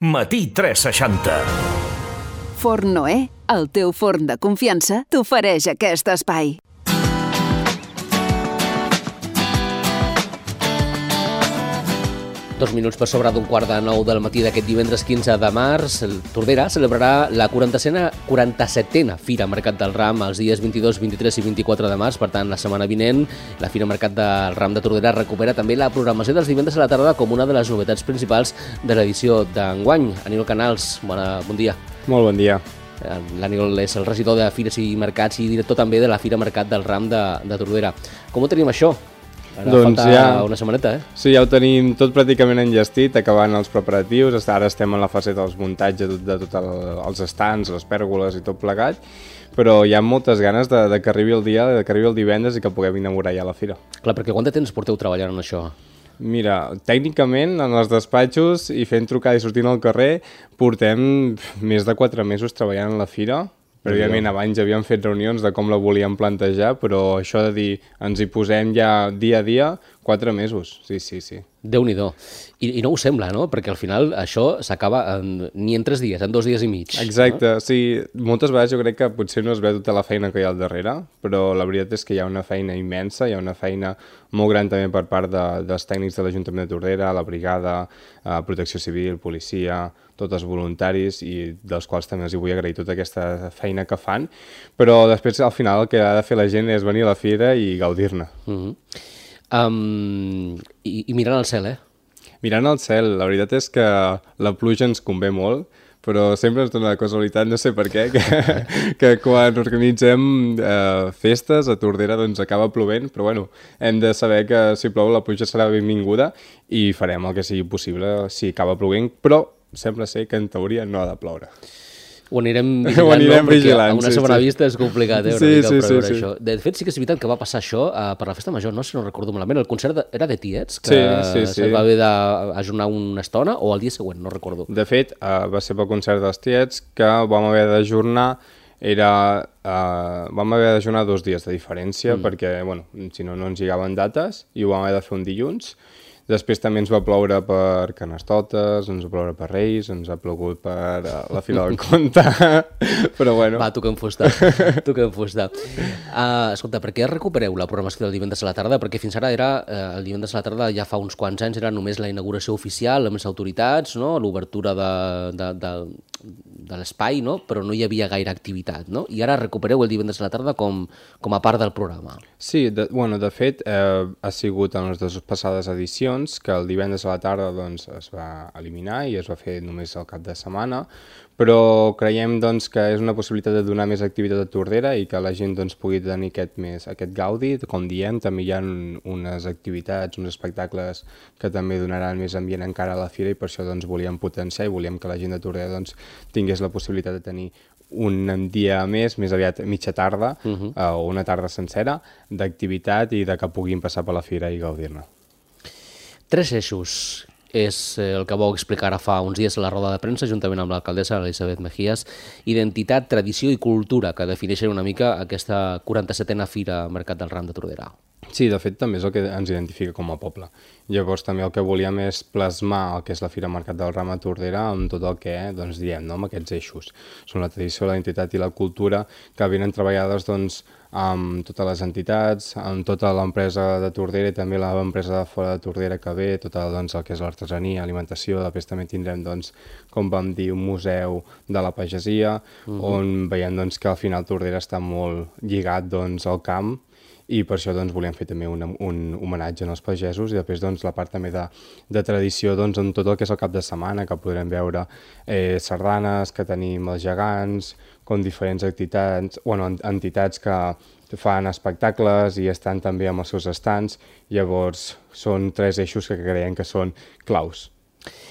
Matí 360. Forn Noé, el teu forn de confiança, t'ofereix aquest espai. Dos minuts per sobre d'un quart de 9 del matí d'aquest divendres 15 de març, el Tordera celebrarà la 47a Fira Mercat del Ram els dies 22, 23 i 24 de març. Per tant, la setmana vinent, la Fira Mercat del Ram de Tordera recupera també la programació dels divendres a la tarda com una de les novetats principals de l'edició d'enguany. Aníbal Canals, bon dia. Molt bon dia. L'Aníbal és el regidor de Fires i Mercats i director també de la Fira Mercat del Ram de Tordera. Com ho tenim això? Ara doncs falta ja una setmaneta, Sí, ja ho tenim tot pràcticament enllestit, acabant els preparatius. Ara estem en la fase dels muntatges de tots els estands, les pèrgoles i tot plegat, però hi ha moltes ganes de que arribi el dia, de que arribi el divendres i que puguem inaugurar ja la fira. Clar, perquè quant de temps porteu treballant en això? Mira, tècnicament, en els despatxos i fent trucada i sortint al carrer, portem més de 4 mesos treballant en la fira. Prèviament, abans havíem fet reunions de com la volíem plantejar, però això de dir ens hi posem ja dia a dia, 4 mesos, sí. Déu-n'hi-do. I no ho sembla, no? Perquè al final això s'acaba ni en 3 dies, en 2 dies i mig. Exacte, no? Sí. Moltes vegades jo crec que potser no es veu tota la feina que hi ha al darrere, però la veritat és que hi ha una feina immensa, hi ha una feina molt gran també per part dels tècnics de l'Ajuntament de Tordera, la brigada, Protecció Civil, policia, tots els voluntaris, i dels quals també els vull agrair tota aquesta feina que fan, però després al final el que ha de fer la gent és venir a la fira i gaudir-ne. I mirant al cel, Mirant al cel, la veritat és que la pluja ens convé molt, però sempre ens dona la casualitat, no sé per què, que quan organitzem festes a Tordera doncs acaba plovent, però bueno, hem de saber que si plou la pluja serà benvinguda i farem el que sigui possible si acaba plovent, però sembla ser que en teoria no ha de ploure. Ho anirem vigilant, perquè a una segona vista és complicat, una mica preveure això. De fet, sí que és veritat que va passar això per la festa major, no sé si no recordo malament, el concert era de Tiets, que se va haver d'ajornar una estona, o el dia següent, no recordo. De fet, va ser pel concert dels Tiets que vam haver d'ajornar, vam haver d'ajornar 2 dies de diferència, perquè, bueno, si no, no ens lligaven dates, i ho vam haver de fer un dilluns. Després també ens va ploure per Carnestoltes, ens va ploure per Reis, ens ha plogut per la Fira del Conte, però bueno. Va, tu que em fusta. Escolta, per què recupereu la programació del divendres a la tarda? Perquè fins ara era, el divendres a la tarda ja fa uns quants anys, era només la inauguració oficial amb les autoritats, no? L'obertura de l'espai, no? Però no hi havia gaire activitat, no? I ara recupereu el divendres a la tarda com a part del programa. Sí, de fet, ha sigut en les 2 passades edicions que el divendres a la tarda doncs, es va eliminar i es va fer només el cap de setmana, però creiem doncs, que és una possibilitat de donar més activitat a Tordera i que la gent doncs, pugui tenir aquest gaudi. Com diem, també hi ha unes activitats, uns espectacles que també donaran més ambient encara a la fira, i per això doncs, volíem potenciar i volíem que la gent de Tordera doncs, tingués la possibilitat de tenir un dia més aviat mitja tarda o una tarda sencera d'activitat i de que puguin passar per la fira i gaudir-ne. 3 eixos és el que vau explicar ara fa uns dies a la roda de premsa, juntament amb l'alcaldessa Elisabet Mejías: identitat, tradició i cultura, que defineixen una mica aquesta 47a Fira Mercat del Ram de Tordera. Sí, de fet també és el que ens identifica com a poble. Llavors també el que volíem és plasmar el que és la Fira Mercat del Ram a Tordera amb tot el que doncs, diem, no? Amb aquests eixos. Són la tradició, la identitat i la cultura, que venen treballades doncs, amb totes les entitats, amb tota l'empresa de Tordera i també l'empresa de fora de Tordera que ve, tot doncs, el que és l'artesania, alimentació. Després també tindrem, doncs, com vam dir, un museu de la pagesia, on veiem doncs, que al final Tordera està molt lligat doncs, al camp, i per això doncs, volíem fer també un homenatge als pagesos, i després doncs, la part també de tradició doncs, en tot el que és el cap de setmana, que podrem veure sardanes, que tenim els gegants, com diferents entitats que fan espectacles i estan també amb els seus estands. Llavors són 3 eixos que creiem que són claus.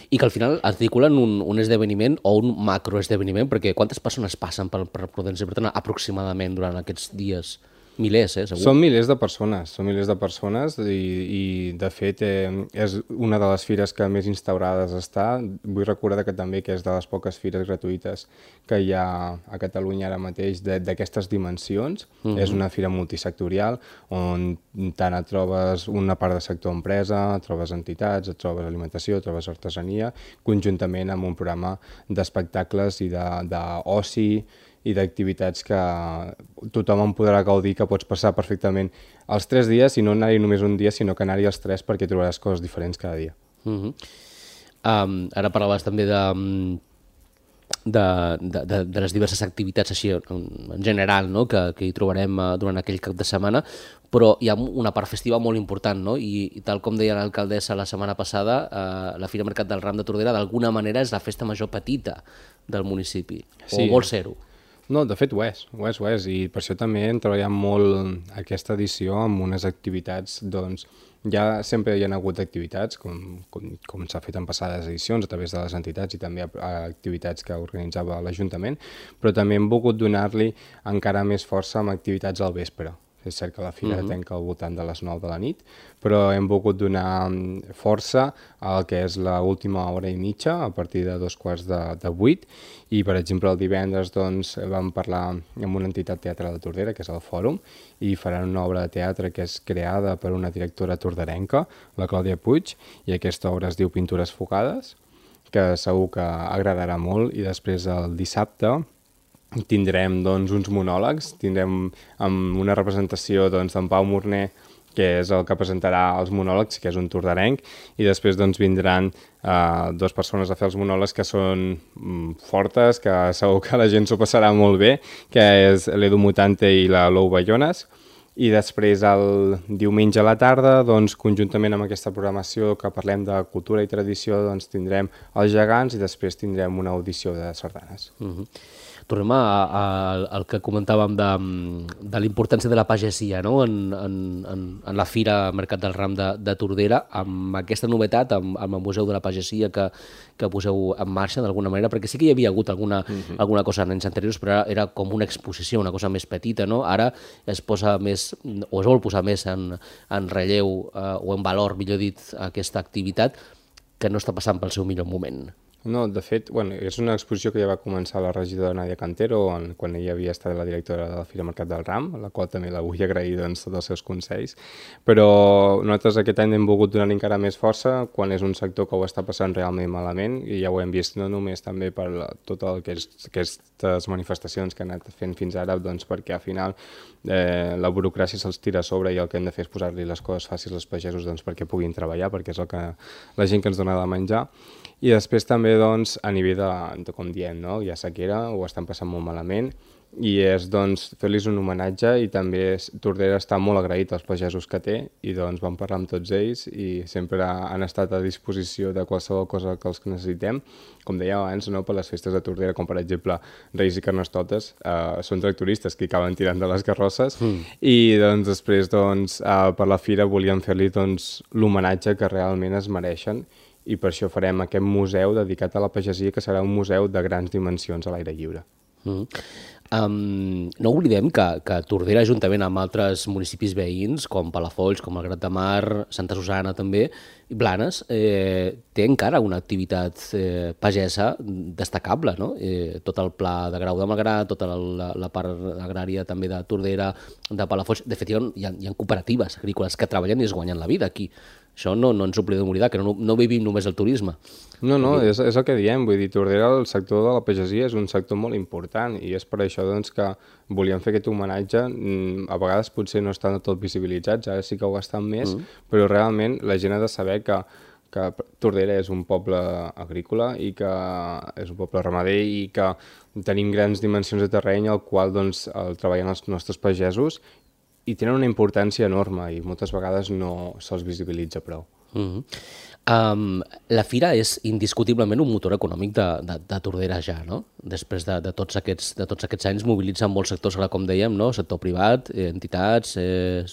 I que al final articulen un esdeveniment o un macroesdeveniment, perquè quantes persones passen per Prudència Bertran aproximadament durant aquests dies? Milers, segur. Són milers de persones i de fet és una de les fires que més instaurades està. Vull recordar que també que és de les poques fires gratuïtes que hi ha a Catalunya ara mateix d'aquestes dimensions. És una fira multisectorial on tant et trobes una part de sector empresa, et trobes entitats, et trobes alimentació, et trobes artesania, conjuntament amb un programa d'espectacles i d'oci i d'activitats que tothom en podrà gaudir, que pots passar perfectament els 3 dies, i no anar-hi només un dia, sinó que anar-hi els 3 perquè trobaràs coses diferents cada dia. Ara parlaves també de les diverses activitats així en general, no? que hi trobarem durant aquell cap de setmana, però hi ha una part festiva molt important, no? I tal com deia l'alcaldessa la setmana passada, la Fira Mercat del Ram de Tordera d'alguna manera és la festa major petita del municipi, o vol ser-ho. No, de fet ho és, i per això també hem treballat molt aquesta edició amb unes activitats, doncs, ja sempre hi ha hagut activitats, com s'ha fet en passades edicions, a través de les entitats i també activitats que organitzava l'Ajuntament, però també hem volgut donar-li encara més força amb activitats al vespre. És cert que la fira tanca al voltant de les 9 de la nit, però hem volgut donar força al que és l'última hora i mitja, a partir de 7:45, i per exemple el divendres doncs, vam parlar amb una entitat teatral de Tordera, que és el Fòrum, i faran una obra de teatre que és creada per una directora torderenca, la Clàudia Puig, i aquesta obra es diu Pintures Focades, que segur que agradarà molt, i després el dissabte tindrem doncs, uns monòlegs, tindrem una representació d'en Pau Morner, que és el que presentarà els monòlegs, que és un torderenc, i després doncs, vindran 2 persones a fer els monòlegs que són fortes, que segur que la gent s'ho passarà molt bé, que és l'Edu Mutante i la Lou Bayones. I després el diumenge a la tarda, doncs, conjuntament amb aquesta programació que parlem de cultura i tradició, doncs, tindrem els gegants i després tindrem una audició de sardanes. Tornem al que comentàvem de la importància de la pagesia, no? en la Fira Mercat del Ram de Tordera, amb aquesta novetat, amb el Museu de la Pagesia que poseu en marxa d'alguna manera, perquè sí que hi havia hagut alguna cosa en anys anteriors, però era com una exposició, una cosa més petita, no? Ara es posa més, o es vol posar més en relleu o en valor, millor dit, aquesta activitat que no està passant pel seu millor moment. No, de fet, és una exposició que ja va començar la regidora Nàdia Cantero quan ella havia estat la directora de la Fira Mercat del Ram, a la qual també la vull agrair doncs, tots els seus consells, però nosaltres aquest any hem volgut donar encara més força quan és un sector que ho està passant realment malament, i ja ho hem vist no només també per tot el que és aquestes manifestacions que han anat fent fins ara, doncs perquè al final la burocràcia se'ls tira a sobre i el que hem de fer és posar-li les coses fàcils als pagesos doncs, perquè puguin treballar, perquè és el que la gent que ens dona de menjar. I després també doncs, a nivell de com diem, no? Hi ha sequera, ho estan passant molt malament, i és doncs, fer-los un homenatge, i també Tordera està molt agraït als pagesos que té, i doncs vam parlar amb tots ells i sempre han estat a disposició de qualsevol cosa que els necessitem. Com dèiem abans, no? Per les festes de Tordera, com per exemple Reis i Carnestoltes, són tractoristes que acaben tirant de les carrosses, i doncs, després doncs, per la fira volíem fer-li doncs, l'homenatge que realment es mereixen, i per això farem aquest museu dedicat a la pagesia, que serà un museu de grans dimensions a l'aire lliure. No oblidem que Tordera, juntament amb altres municipis veïns, com Palafolls, com el Grat de Mar, Santa Susana també, i Blanes, té encara una activitat pagesa destacable, no? Tot el pla de Grau de Malgrat, tota la part agrària també de Tordera, de Palafolls. De fet, hi ha cooperatives agrícoles que treballen i es guanyen la vida aquí. Això no ens oblidem d'oblidar, que no vivim només el turisme. No, és el que diem, vull dir, Tordera, el sector de la pagesia és un sector molt important, i és per això doncs, que volíem fer aquest homenatge. A vegades potser no estan tot visibilitzats, ara sí que ho estan més, però realment la gent ha de saber que Tordera és un poble agrícola i que és un poble ramader i que tenim grans dimensions de terreny al qual doncs, treballen els nostres pagesos, i tenen una importància enorme i moltes vegades no se'ls visibilitza prou. La fira és indiscutiblement un motor econòmic de Tordera ja, no? Després de tots aquests anys mobilitzen molts sectors, com dèiem, no? Sector privat, entitats,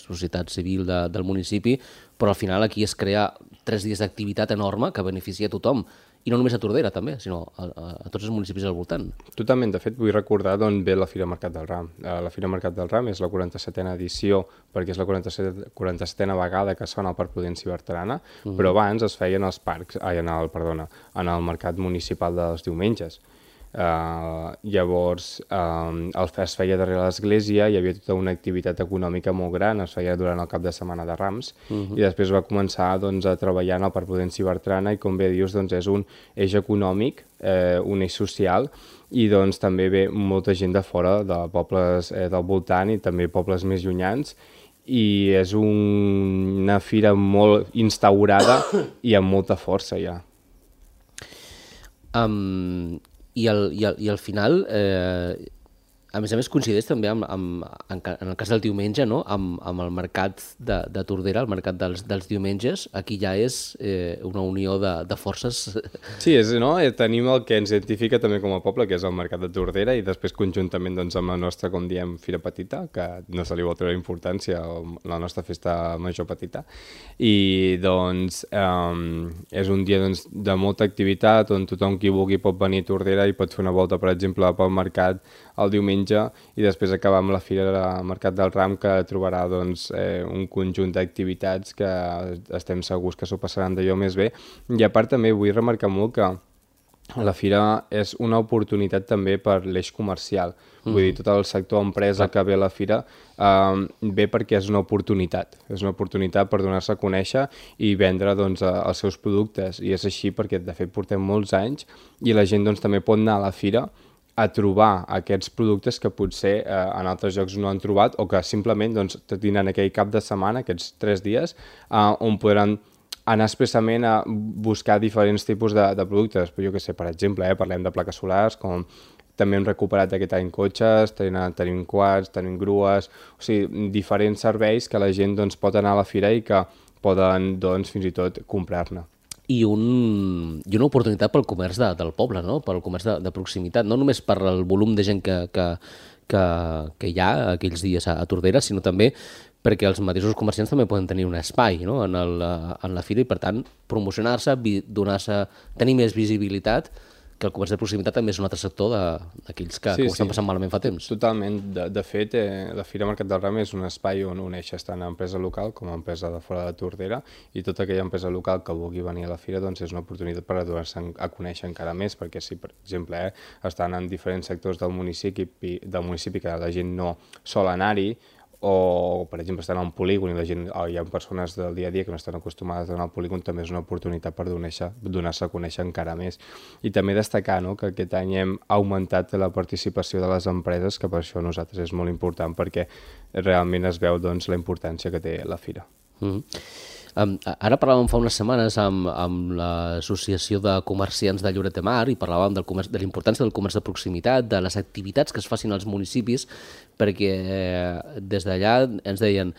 societat civil del municipi, però al final aquí es crea 3 dies d'activitat enorme que beneficia a tothom, i no només a Tordera també, sinó a tots els municipis al voltant. Totalment, de fet vull recordar d'on ve la Fira Mercat del Ram. La Fira Mercat del Ram és la 47a edició perquè és la 47a vegada que es fa en el Parc Prudenci Bertran, però abans es feien als parcs, en el mercat municipal dels diumenges. Llavors es feia darrere l'església, hi havia tota una activitat econòmica molt gran, es feia durant el cap de setmana de Rams i després va començar doncs, a treballar en el Parc Prudenci Bertran i com bé dius doncs, és un eix econòmic, un eix social i doncs, també ve molta gent de fora, de pobles del voltant i també pobles més llunyans i és una fira molt instaurada i amb molta força ja. I al final, a més coincideix també en el cas del diumenge, no? amb el mercat de Tordera, el mercat dels diumenges, aquí ja és una unió de forces. Sí, tenim el que ens identifica també com a poble, que és el mercat de Tordera, i després conjuntament doncs, amb la nostra, com diem, Fira Petita, que no se li vol treure importància, la nostra festa major petita, i doncs és un dia doncs, de molta activitat, on tothom qui vulgui pot venir a Tordera i pot fer una volta, per exemple, pel mercat el diumenge i després acabar amb la Fira del Mercat del Ram, que trobarà doncs, un conjunt d'activitats que estem segurs que s'ho passaran d'allò més bé. I a part també vull remarcar molt que la fira és una oportunitat també per l'eix comercial. Vull dir, tot el sector empresa que ve a la fira ve perquè és una oportunitat. És una oportunitat per donar-se a conèixer i vendre doncs, els seus productes. I és així perquè, de fet, portem molts anys i la gent doncs, també pot anar a la fira a trobar aquests productes que potser en altres llocs no han trobat o que simplement doncs, tindran aquell cap de setmana, aquests 3 dies, on podran anar expressament a buscar diferents tipus de productes. Jo què sé, per exemple, parlem de plaques solars, com també hem recuperat aquest any cotxes, tenim quads, tenim grues, o sigui, diferents serveis que la gent doncs, pot anar a la fira i que poden doncs, fins i tot comprar-ne. I una oportunitat pel comerç del poble, no? Pel comerç de proximitat, no només per el volum de gent que hi ha aquells dies a Tordera, sinó també perquè els mateixos comerciants també poden tenir un espai, no? en la fira i, per tant, promocionar-se, tenir més visibilitat, que el comerç de proximitat també és un altre sector d'aquells que ho estan passant malament fa temps. Totalment. De fet, la Fira Mercat del Ram és un espai on uneixes tant empresa local com empresa de fora de Tordera i tota aquella empresa local que vulgui venir a la fira doncs és una oportunitat per donar-se a conèixer encara més, perquè si, per exemple, estan en diferents sectors del municipi que la gent no sol anar-hi, o, per exemple, estan en un polígon i hi ha persones del dia a dia que no estan acostumades a anar al polígon, també és una oportunitat per donar-se a conèixer encara més. I també destacar que aquest any hem augmentat la participació de les empreses, que per això a nosaltres és molt important, perquè realment es veu doncs, la importància que té la fira. Ara parlàvem fa unes setmanes amb l'Associació de Comerciants de Lloret de Mar i parlàvem de la importància del comerç de proximitat, de les activitats que es facin als municipis, perquè des d'allà ens deien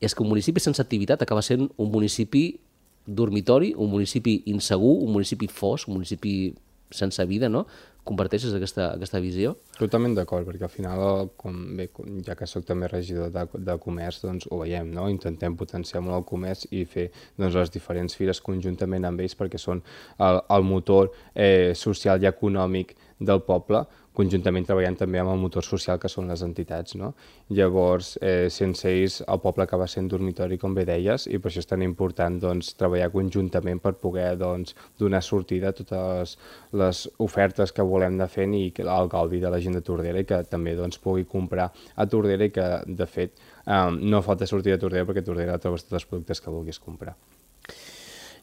és que un municipi sense activitat acaba sent un municipi dormitori, un municipi insegur, un municipi fosc, un municipi sense vida, no? Comparteixes aquesta visió? Totalment d'acord, perquè al final, ja que soc també regidor de comerç, doncs ho veiem, no? Intentem potenciar molt el comerç i fer doncs, les diferents fires conjuntament amb ells perquè són el motor social i econòmic del poble, conjuntament treballant també amb el motor social que són les entitats, no? Llavors, sense ells el poble acaba sent dormitori, com bé deies, i per això és tan important doncs, treballar conjuntament per poder doncs, donar sortida a totes les ofertes que volem anar fent i el gaudi de la gent de Tordera i que també doncs, pugui comprar a Tordera i que, de fet, no falta sortir de Tordera perquè a Tordera trobes tots els productes que vulguis comprar.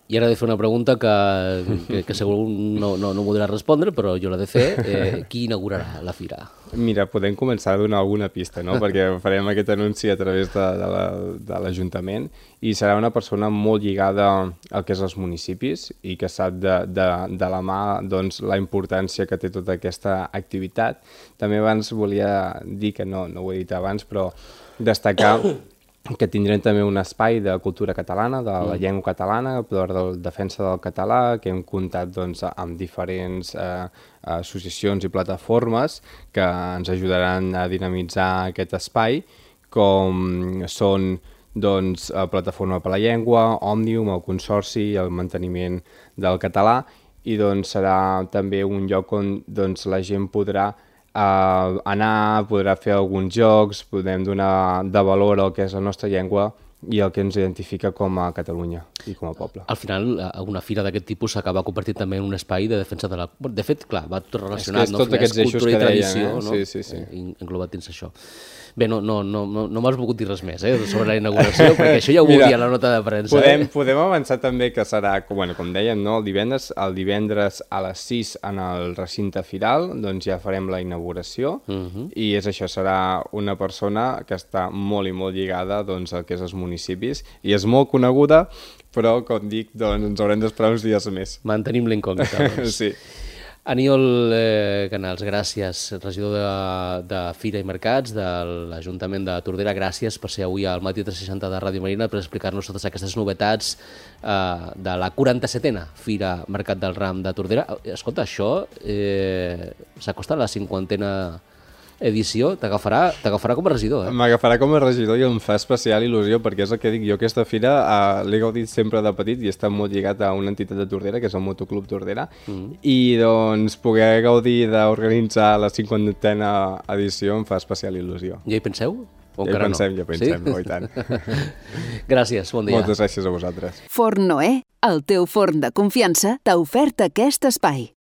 I ara he de fer una pregunta que segur no podrà respondre, però jo l'he de fer. Qui inaugurarà la fira? Mira, podem començar a donar alguna pista, no? Perquè farem aquest anunci a través de l'Ajuntament i serà una persona molt lligada al que és els municipis i que sap de la mà doncs, la importància que té tota aquesta activitat. També abans volia dir, que no ho he dit abans, però destacar que tindrem també un espai de cultura catalana, de la llengua catalana, per la defensa del català, que hem comptat doncs, amb diferents associacions i plataformes que ens ajudaran a dinamitzar aquest espai, com són doncs, Plataforma per la Llengua, Òmnium, el Consorci i el manteniment del català, i doncs serà també un lloc on doncs, la gent podrà anar, podrà fer alguns jocs, podem donar de valor al que és la nostra llengua i el que ens identifica com a Catalunya i com a poble. Al final, una fira d'aquest tipus s'acaba convertint també en un espai de defensa de la... De fet, clar, va tot relacionat, és tots aquests eixos cultura i que tradició, deien, no? Sí. Englobat dins això. Bé, no m'has volgut dir res més sobre la inauguració, perquè això ja ho volia a la nota de premsa. Podem avançar també que serà, com dèiem, no? el divendres a les 6 en el recinte firal, doncs ja farem la inauguració, i és això, serà una persona que està molt i molt lligada doncs, al que és els municipis, i és molt coneguda, però, com dic, doncs, ens haurem d'esperar uns dies més. Mantenim l'incògnita. Doncs. Sí. Aniol Canals, gràcies, regidor de Fira i Mercats de l'Ajuntament de Tordera. Gràcies per ser avui al Matí 360 de Ràdio Marina per explicar-nos totes aquestes novetats de la 47a Fira Mercat del Ram de Tordera. Escolta, això s'acosta a la 50a edició, t'agafarà com a regidor, M'agafarà com a regidor i em fa especial il·lusió, perquè és el que dic, jo aquesta fira l'he gaudit sempre de petit i està molt lligat a una entitat de Tordera, que és el Motoclub Tordera, i doncs poder gaudir d'organitzar la 50a edició em fa especial il·lusió. Ja hi penseu? Ja hi pensem, i tant. Gràcies, bon dia. Moltes gràcies a vosaltres. Forn Noé, el teu forn de confiança, t'ha ofert aquest espai.